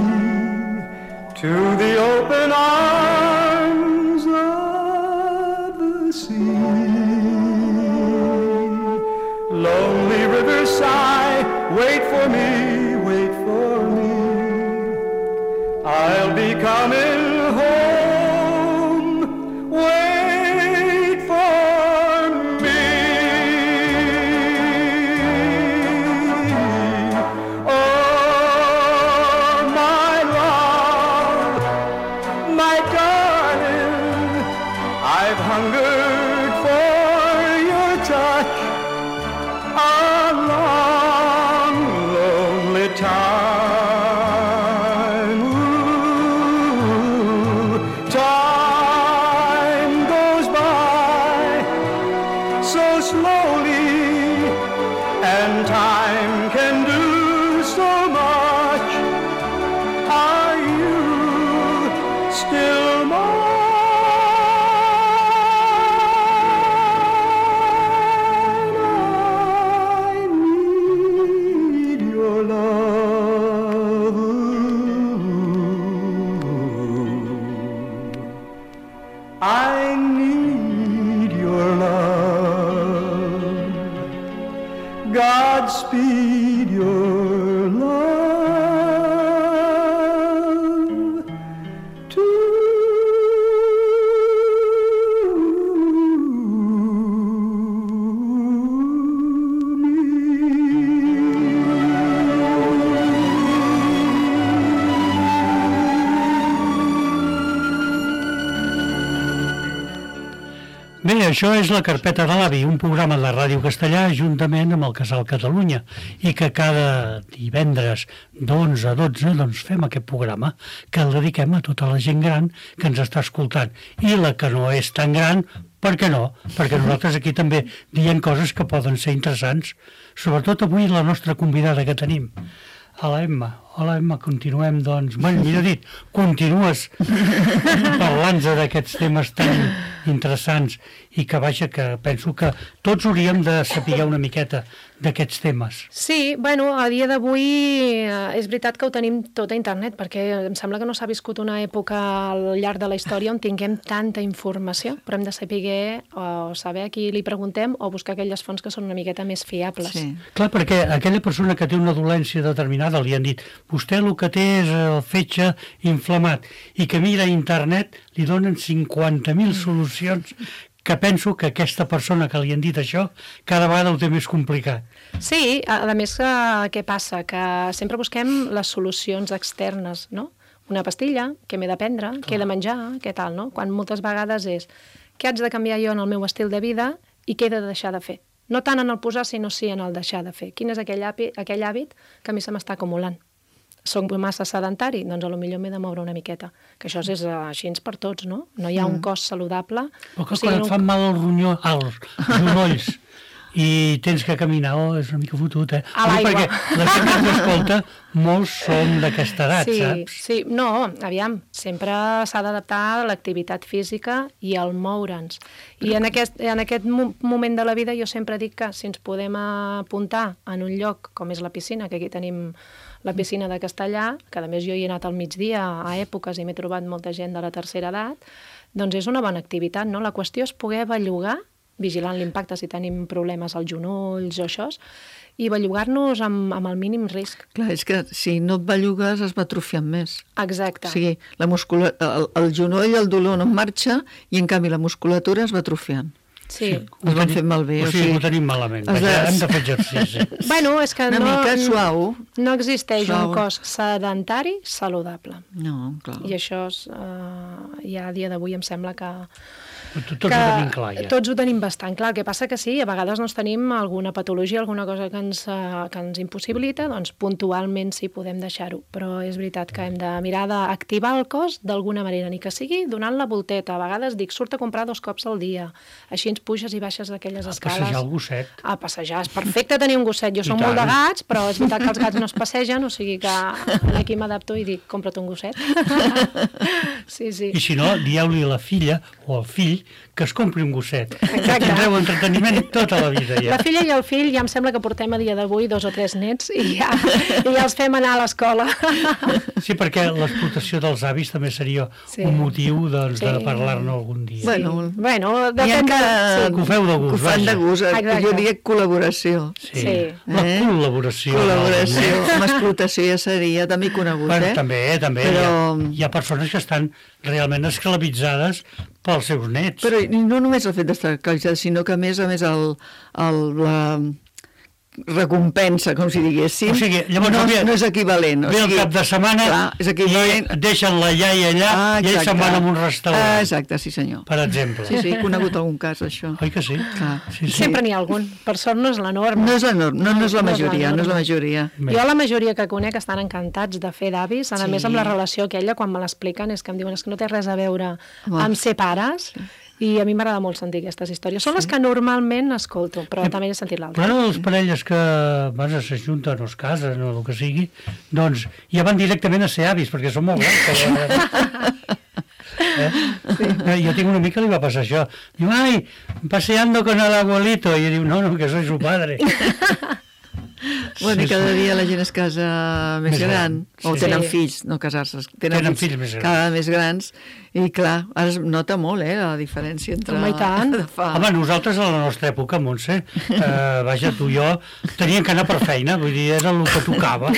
to the open arms of the sea. Lonely rivers sigh, wait for me, wait for me. I'll be coming home, wait for me. Oh, my love, my darling, I've hungered for your touch a long, lonely time. Ooh, time goes by so slowly, and time can do so much. Are you still mine? I need your love. I need your love. Godspeed your love to Bé, això és la Carpeta de l'Avi, un programa de Ràdio Castellà juntament amb el Casal Catalunya, i que cada divendres d'onze a dotze doncs, fem aquest programa que el dediquem a tota la gent gran que ens està escoltant. I la que no és tan gran, per què no? Perquè nosaltres aquí també diem coses que poden ser interessants, sobretot avui la nostra convidada que tenim, a la Emma. Hola, Emma, continuem, doncs... Bé, millor dit, continues parlant-nos d'aquests temes tan interessants i que, vaja, que penso que tots hauríem de saber una miqueta d'aquests temes. Sí, bueno, a dia d'avui eh, és veritat que ho tenim tot a internet, perquè em sembla que no s'ha viscut una època al llarg de la història on tinguem tanta informació, però hem de saber o saber a qui li preguntem o buscar aquelles fonts que són una miqueta més fiables. Sí. Clar, perquè aquella persona que té una dolència determinada li han dit vostè el que té és el fetge inflamat i que mira a internet li donen cinquanta mil solucions, que penso que aquesta persona que li han dit això cada vegada ho té més complicat. Sí, a, a més, eh, què passa? Que sempre busquem les solucions externes, no? Una pastilla, què m'he de prendre, Clar. què he de menjar, què tal, no? Quan moltes vegades és què haig de canviar jo en el meu estil de vida i què he de deixar de fer. No tant en el posar, sinó sí en el deixar de fer. Quin és aquell hàbit, aquell hàbit que a mi se m'està acumulant? Soc massa sedentari? Doncs a lo millor m'he de moure una miqueta. Que això és així per tots, no? No hi ha un cos saludable. Però que o sigui, quan et fan mal els ronyó, els genolls i tens que caminar, oh, és una mica fotut, eh? A l'aigua. Perquè la gent que t'escolta, molts són d'aquesta edat, sí, saps? Sí, no, aviam, sempre s'ha d'adaptar a l'activitat física i al moure'ns. I en aquest, en aquest moment de la vida jo sempre dic que si ens podem apuntar en un lloc com és la piscina, que aquí tenim La piscina de Castellà, que a més jo hi he anat al migdia a èpoques i m'he trobat molta gent de la tercera edat, doncs és una bona activitat, no? La qüestió és poder bellugar, vigilant l'impacte si tenim problemes als genolls o això, i bellugar-nos amb, amb el mínim risc. Clar, és que si no et bellugues es va atrofiant més. Exacte. O sigui, la muscula... el, el genoll, el dolor no en marxa i en canvi la musculatura es va atrofiant. Sí. Es van fer malbé. O sigui, ho tenim malament. has de- Vaja, hem de fer exercici. Bueno, és que Una no, mica suau. no existeix Suau. un cos sedentari saludable. No, clar. I això és, uh, ja a dia d'avui em sembla que... Tots ho tenim clar, ja. Tots ho tenim bastant clar. El que passa que sí, a vegades doncs, tenim alguna patologia, alguna cosa que ens, uh, que ens impossibilita, doncs puntualment sí podem deixar-ho. Però és veritat que hem de mirar d'activar el cos d'alguna manera, ni que sigui donant la volteta. A vegades dic, surt a comprar dos cops al dia. Així ens puges i baixes d'aquelles A escales. passejar el gosset. A passejar. És perfecte tenir un gosset. Jo I som tant. molt de gats, però és veritat que els gats no es passegen, o sigui que aquí m'adapto i dic, compra't un gosset. Sí, sí. I si no, dieu-li a la filla o al fill que es compri un gosset. Exacte. Tindreu entreteniment tota la vida, ja. La filla i el fill ja em sembla que portem a dia d'avui dos o tres nets i ja, i ja els fem anar a l'escola. Sí, perquè l'explotació dels avis també seria Sí. un motiu doncs, de Sí. parlar-ne algun dia. Bueno, Bueno, N'hi ha depèn que, de... Que ho feu de gust, que ho fan vaja. de gust. Exacte. Jo diria col·laboració. Sí. Sí. La Eh? col·laboració. Col·laboració. Amb explotació ja seria també conegut, Bueno, eh? també, també. Però- Hi, ha, hi ha persones que estan realment esclavitzades pels seus nets. Però i no només el fet d'estar calçat, sinó que a més a més el, el, la recompensa, com si diguéssim, O sigui, llavors, no, ve- no és equivalent. O Ve el sigui, cap de setmana clar, és equivalent. i deixen la iaia allà Ah, i ells se'n van a un restaurant, Ah, exacte, sí senyor. per exemple. Sí, sí, he conegut algun cas, això. Oi que sí? Clar. Sí, sí. Sempre n'hi ha algun. Per sort no és la norma. No és la norma, no, no és la No és la majoria, no és la norma. majoria. Bé. Jo la majoria que conec estan encantats de fer d'avis, a Sí. més amb la relació aquella, quan me l'expliquen, és que em diuen és que no té res a veure Home. amb ser pares, i a mi m'agrada molt sentir aquestes històries. Són les que normalment escolto, però també he sentit l'altra. Però les parelles que bueno, s'ajunten o es casen o el que sigui, doncs ja van directament a ser avis, perquè són molt grans. Eh? Sí. Jo tinc un amic que li va passar això. Diu, ai, paseando con el abuelito. I jo diu, no, no, que soy su padre. Bueno, i Sí, cada sí. dia la gent es casa més, Més gran, gran, o sí. tenen Sí. fills, no casar-se, Tenen fills més grans. cada més grans, i clar, ara es nota molt, eh, la diferència entre... Home, i tant. de fa... Home, nosaltres a la nostra època, Montse, eh, vaja, tu i jo, teníem que anar per feina, vull dir, era el que tocava.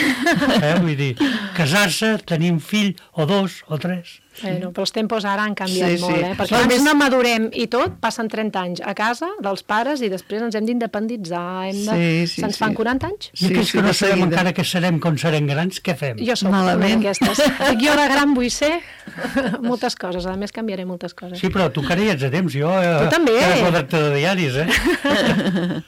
Eh? Vull dir, casar-se, tenir un fill, o dos, o tres. Bueno, però els tempos ara han canviat Sí, sí. molt, eh? Perquè Clar, abans més- no madurem i tot, passen trenta anys a casa dels pares i després ens hem d'independitzar, hem de... Sí, sí, se'ns sí. fan quaranta anys. I aquells sí, que no de sabem seguida. encara què serem quan serem grans, què fem? Jo soc Malament. una d'aquestes. Dic, jo de gran vull ser moltes coses, a més canviaré moltes coses. Sí, però tu encara hi ets a temps, jo... Eh, Tu també. Era redactor de diaris, eh?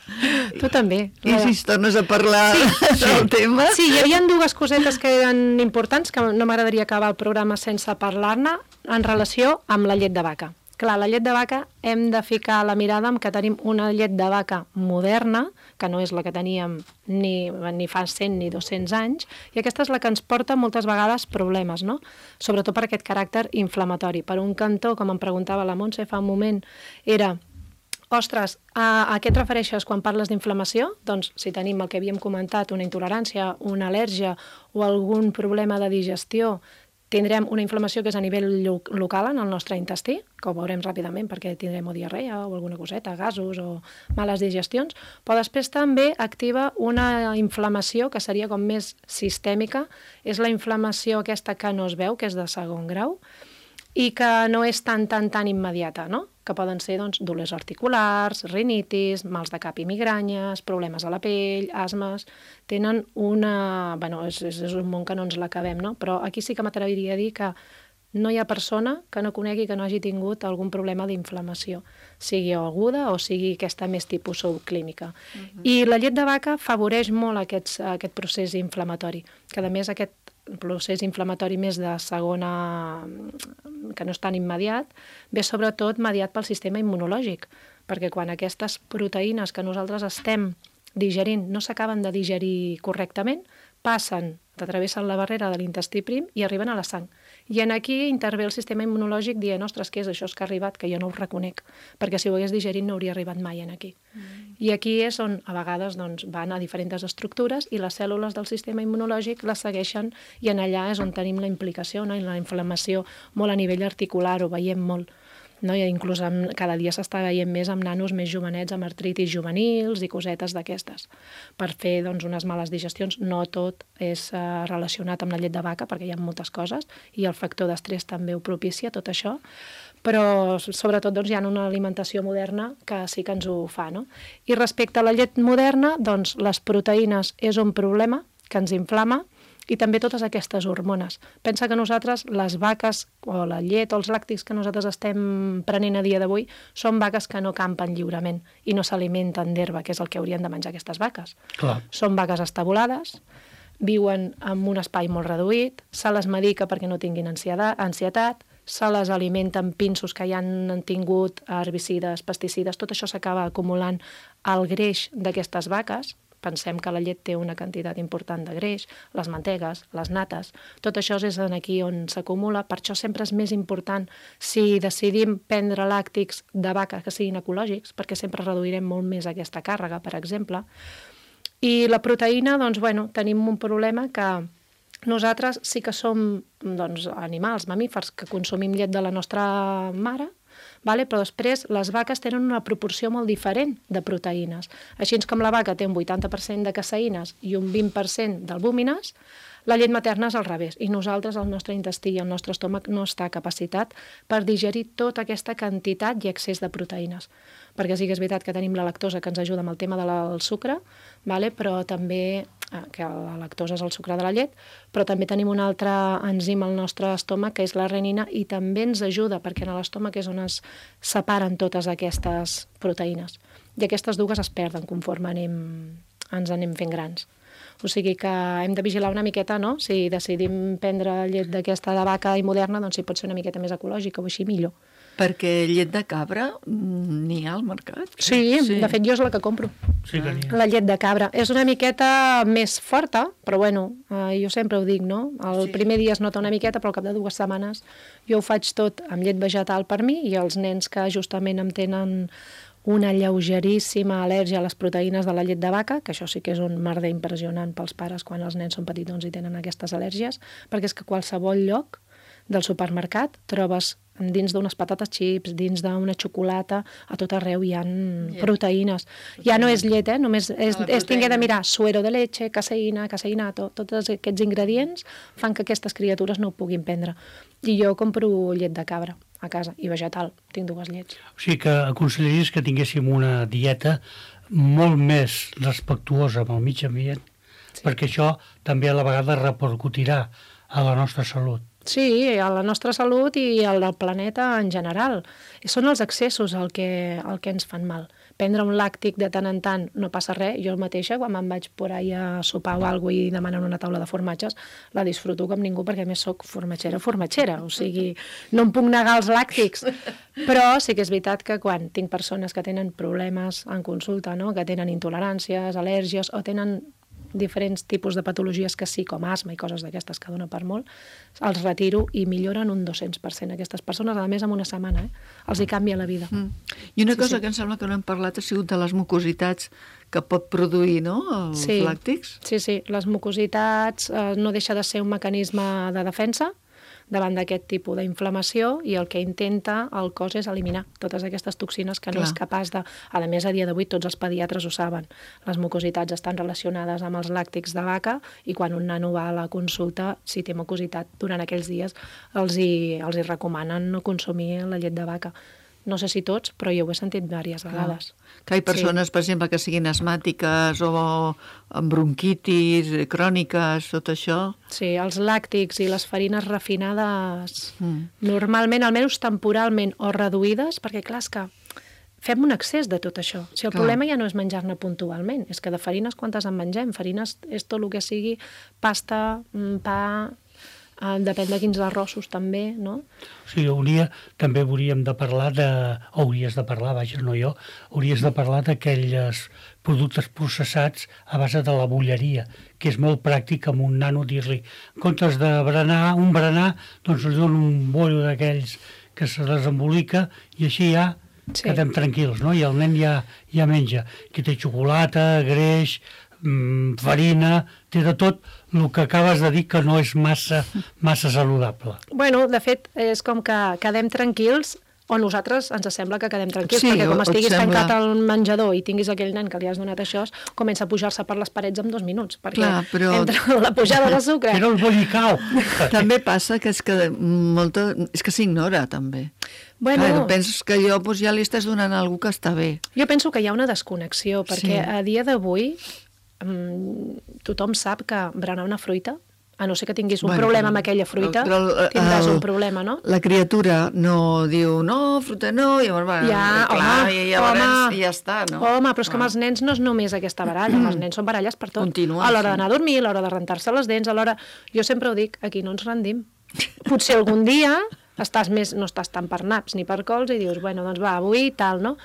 Tu també. I si es tornes a parlar sí, del tema... Sí, hi havia dues cosetes que eren importants, que no m'agradaria acabar el programa sense parlar-ne, en relació amb la llet de vaca. Clar, la llet de vaca hem de ficar la mirada en que tenim una llet de vaca moderna, que no és la que teníem ni, ni fa cent ni dos-cents anys, i aquesta és la que ens porta moltes vegades problemes, no? Sobretot per aquest caràcter inflamatori. Per un cantó, com em preguntava la Montse fa un moment, era... Ostres, a, a què et refereixes quan parles d'inflamació? Doncs si tenim el que havíem comentat, una intolerància, una al·lèrgia o algun problema de digestió, tindrem una inflamació que és a nivell lo local en el nostre intestí, que ho veurem ràpidament perquè tindrem o diarrea o alguna coseta, gasos o males digestions, però després també activa una inflamació que seria com més sistèmica, és la inflamació aquesta que no es veu, que és de segon grau, i que no és tan, tan, tan immediata, no? Que poden ser doncs, dolors articulars, rinitis, mals de cap i migranyes, problemes a la pell, asmes... Tenen una... Bueno, és, és un món que no ens l'acabem, no? Però aquí sí que m'atreviria a dir que no hi ha persona que no conegui que no hagi tingut algun problema d'inflamació, sigui aguda o sigui aquesta més tipus subclínica. Uh-huh. I la llet de vaca afavoreix molt aquests, aquest procés inflamatori, que a més aquest procés inflamatori més de segona, que no és tan immediat, ve sobretot mediat pel sistema immunològic, perquè quan aquestes proteïnes que nosaltres estem digerint no s'acaben de digerir correctament, passen, travessen la barrera de l'intestí prim i arriben a la sang. I en aquí intervé el sistema immunològic dient, ostres, què és això que ha arribat, que jo no ho reconec, perquè si ho hagués digerit no hauria arribat mai en aquí. Mm. I aquí és on a vegades doncs, van a diferents estructures i les cèl·lules del sistema immunològic les segueixen i en allà és on tenim la implicació, no? I la inflamació molt a nivell articular, ho veiem molt. No? I inclús amb, cada dia s'està veient més amb nanos més jovenets, amb artritis juvenils i cosetes d'aquestes. Per fer doncs, unes males digestions, no tot és uh, relacionat amb la llet de vaca, perquè hi ha moltes coses, i el factor d'estrès també ho propicia, tot això, però sobretot doncs, hi ha una alimentació moderna que sí que ens ho fa. No? I respecte a la llet moderna, doncs, les proteïnes és un problema que ens inflama, i també totes aquestes hormones. Pensa que nosaltres, les vaques o la llet o els làctics que nosaltres estem prenent a dia d'avui són vaques que no campen lliurement i no s'alimenten d'herba, que és el que haurien de menjar aquestes vaques. Clar. Són vaques estabulades, viuen en un espai molt reduït, se les medica perquè no tinguin ansietat, se les alimenta amb pinsos que ja han tingut herbicides, pesticides, tot això s'acaba acumulant al greix d'aquestes vaques. Pensem que la llet té una quantitat important de greix, les mantegues, les nates, tot això és aquí on s'acumula, per això sempre és més important si decidim prendre làctics de vaca que siguin ecològics, perquè sempre reduirem molt més aquesta càrrega, per exemple. I la proteïna, doncs, bueno, tenim un problema que nosaltres sí que som doncs, animals, mamífers, que consumim llet de la nostra mare, vale? Però després les vaques tenen una proporció molt diferent de proteïnes. Així com la vaca té un vuitanta per cent de caseïnes i un vint per cent d'albúmines, la llet materna és al revés. I nosaltres, el nostre intestí i el nostre estómac no està capacitat per digerir tota aquesta quantitat i excés de proteïnes. Perquè sí que és veritat que tenim la lactosa que ens ajuda amb el tema del sucre, vale? Però també, que la lactosa és el sucre de la llet, però també tenim un altre enzim al nostre estómac que és la renina i també ens ajuda perquè en l'estómac és on es separen totes aquestes proteïnes. I aquestes dues es perden conforme anem, ens anem fent grans. O sigui que hem de vigilar una miqueta, no? Si decidim prendre llet d'aquesta de vaca i moderna, doncs si pot ser una miqueta més ecològica o així millor. Perquè llet de cabra n'hi ha al mercat? Sí, sí, de fet jo és la que compro. Sí que n'hi ha. La llet de cabra. És una miqueta més forta, però bueno, eh, jo sempre ho dic, no? El sí. primer dia es nota una miqueta, però al cap de dues setmanes jo ho faig tot amb llet vegetal per mi i els nens que justament em tenen una lleugeríssima al·lèrgia a les proteïnes de la llet de vaca, que això sí que és un merder impressionant pels pares quan els nens són petits doncs, i tenen aquestes al·lèrgies, perquè és que a qualsevol lloc del supermercat trobes dins d'unes patates xips, dins d'una xocolata, a tot arreu hi ha yeah. proteïnes. Ja no és llet, eh? Només és, és tingué de mirar suero de leche, caseïna, caseïnato, tots aquests ingredients fan que aquestes criatures no ho puguin prendre. I jo compro llet de cabra a casa, i vegetal, tinc dues llets. O sigui que aconsellaries que tinguéssim una dieta molt més respectuosa amb el mig ambient, sí. perquè això també a la vegada repercutirà a la nostra salut. Sí, a la nostra salut i al del planeta en general. Són els excessos el que, el que ens fan mal. Prendre un làctic de tant en tant no passa res. Jo mateixa, quan me'n vaig por ahí a sopar o alguna cosa i demanen una taula de formatges, la disfruto com ningú perquè a més soc formatgera, formatgera. O sigui, no em puc negar els làctics. Però sí que és veritat que quan tinc persones que tenen problemes en consulta, no? Que tenen intoleràncies, al·lèrgies o tenen diferents tipus de patologies que sí, com asma i coses d'aquestes que dona per molt, els retiro i milloren un dos-cents per cent aquestes persones, a més en una setmana, eh? Els hi canvia la vida. Mm. I una sí, cosa sí. que em sembla que no hem parlat ha sigut de les mucositats que pot produir, no?, els sí. làctics. Sí, sí, les mucositats eh, no deixa de ser un mecanisme de defensa davant d'aquest tipus d'inflamació i el que intenta el cos és eliminar totes aquestes toxines que no Clar. És capaç de... A més, a dia d'avui tots els pediatres ho saben. Les mucositats estan relacionades amb els làctics de vaca i quan un nano va a la consulta, si té mucositat durant aquells dies, els hi, els hi recomanen no consumir la llet de vaca. No sé si tots, però jo ho he sentit diverses vegades. Que hi ha persones, sí. per exemple, que siguin asmàtiques o amb bronquitis, cròniques, tot això. Sí, els làctics i les farines refinades, mm. normalment, almenys temporalment, o reduïdes, perquè clar, és que fem un excés de tot això. Si el clar. Problema ja no és menjar-ne puntualment, és que de farines quantes en mengem? Farines és tot el que sigui pasta, pa, Uh, depèn de quins arrossos també, no? O sigui, hauria, també hauríem de parlar de... Hauries de parlar, vaja, no jo, hauries de parlar d'aquells productes processats a base de la bulleria, que és molt pràctic amb un nano dir-li, en comptes de berenar, un berenar, doncs li dono un bollo d'aquells que se desembolica i així ja sí. quedem tranquils, no? I el nen ja, ja menja. Aquí té xocolata, greix, mmm, farina, té de tot el que acabes de dir que no és massa, massa saludable. Bueno, de fet, és com que quedem tranquils o nosaltres ens sembla que quedem tranquils, sí, perquè com estiguis sembla... tancat al menjador i tinguis aquell nen que li has donat això, comença a pujar-se per les parets en dos minuts, perquè Clar, però... entre la pujada de sucre... Però el bollicau! També passa que és que molta... és que s'ignora, també. Bueno, Clar, penses que allò doncs, ja li estàs donant a algú que està bé. Jo penso que hi ha una desconnexió, perquè sí. a dia d'avui tothom sap que berenar una fruita, a no ser que tinguis un bueno, problema amb aquella fruita, però, però, tindràs el, un problema, no? La criatura no diu, no, fruita no, i llavors, bueno, ja, clar, home, i ja, home, i ja està, no? Home, però és que amb els nens no és només aquesta baralla, els nens són baralles per tot. Continua, a l'hora sí. d'anar a dormir, a l'hora de rentar-se les dents, a l'hora... Jo sempre ho dic, aquí no ens rendim. Potser algun dia estàs més, no estàs tant per naps ni per cols i dius, bueno, doncs va, avui tal, no?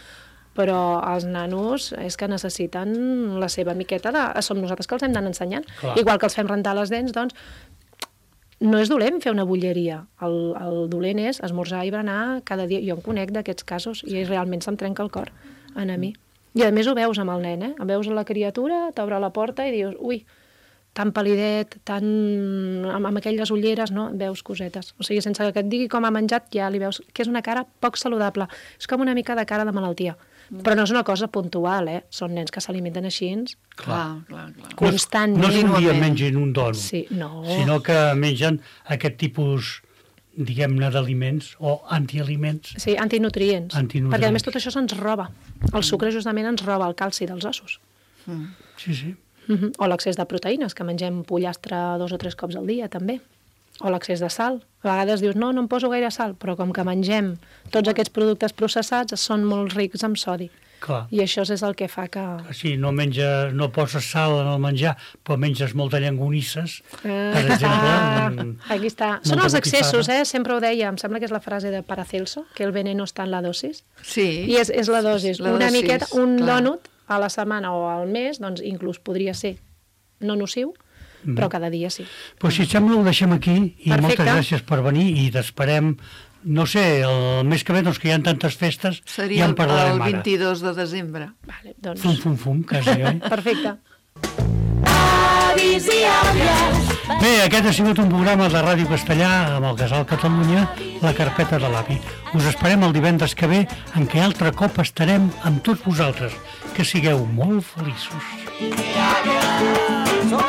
Però els nanos és que necessiten la seva miqueta de... Som nosaltres que els hem d'anar ensenyant. Clar. Igual que els fem rentar les dents, doncs no és dolent fer una bulleria. El, el dolent és esmorzar i berenar cada dia. Jo em conec d'aquests casos i realment se'm trenca el cor en a mi. I a més ho veus amb el nen, eh? Veus la criatura, t'obre la porta i dius, ui, tan palidet, tan... amb, amb aquelles ulleres, no? Veus cosetes. O sigui, sense que et digui com ha menjat, ja li veus que és una cara poc saludable. És com una mica de cara de malaltia. Però no és una cosa puntual, eh? Són nens que s'alimenten així, clar, clar, clar. constantment. No és un dia mengin un dònut, sí, no. sinó que mengen aquest tipus, diguem-ne, d'aliments o antialiments. Sí, antinutrients. antinutrients. Perquè a més tot això se'ns roba. El sucre justament ens roba el calci dels ossos. Mm. Sí, sí. Uh-huh. O l'excés de proteïnes, que mengem pollastre dos o tres cops al dia, també. O l'excés de sal. A vegades dius, no, no em poso gaire sal, però com que mengem tots aquests productes processats, són molt rics en sodi. Clar. I això és el que fa que... Sí, no menja, no poses sal en el menjar, però menges molta llangonisses, per exemple. Ah, un, aquí està. Són els excessos, eh? Sempre ho deia, em sembla que és la frase de Paracelso, que el veneno està en la dosis. Sí. I és, és la dosis. La Una dosis, miqueta, un clar. dònut a la setmana o al mes, doncs inclús podria ser no nociu, però cada dia sí. Però si et sembla ho deixem aquí i Perfecte. Moltes gràcies per venir i t'esperem, no sé, el mes que ve, doncs que hi ha tantes festes, seria ja en parlarem el ara. vint-i-dos de desembre. Vale, doncs... Fum, fum, fum, quasi, oi? Perfecte. Avis i àvies. Bé, aquest ha sigut un programa de Ràdio Castellà amb el Casal Catalunya, la carpeta de l'avi. Us esperem el divendres que ve, en què altre cop estarem amb tots vosaltres. Que sigueu molt feliços. Som